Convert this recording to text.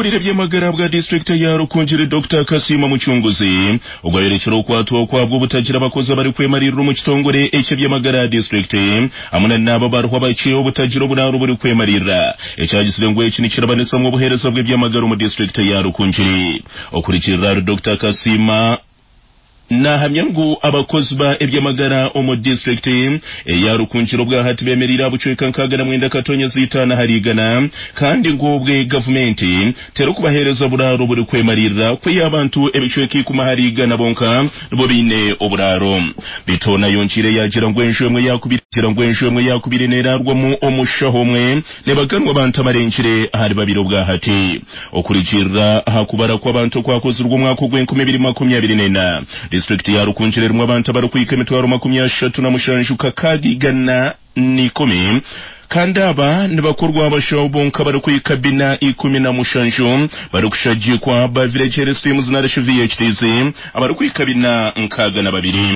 Okurikukurira eby'amagara bwa disiturikiti ya Rukungiri, Dokita Kasiima Mucunguzi, ogwo ayorekire okwatwa okwabwo obutagira abakozi abarikwemariirira omu kitongore eky'eby'amagara aha disiturikiti hamwe na n'abo abariho abakye obutagira oburaaro oburikwemariirira ekyagizire ngu eki nikirabanisamu obuheereza bw'eby'amagara omu disiturikiti ya Rukungiri. Okurugirira ahari Dokita Kasiima, Naahamya ngu abakozi ba eby'amagara omu disiturikiti eya Rukungiri obwahati bemereire aha bucweka 69 katonyeza itaano ahari igana kandi ngu obwe gavumenti terikubaheereza buraaro burikwemariirira kwiha abantu ebicweka ikumi ahari igana bonka nibo baine oburaaro. Beitu hoona ayongyeire yaagira ngu enju emwe yakubaire ngu enju emwe yakubaire neraarwamu omushaho omwe Nibaganwa abantu abarengire ahari babiri obwahati. Okurugiirira aha kubara kw'abantu okwakozirwe omwaka ogw'enkumi ibiri makumi abiri n'ena, disiturikiti ya Rukungiri erimu abantu abarikuhika emitwaro 37 kakaaga 110 kandi aba nibakorwa abashaho bonka abarikuhika bina ikumi na mushanju barikushagikwa ba Village Health Teams narishi VHTs abarikuhika bina nkaaga na babiri.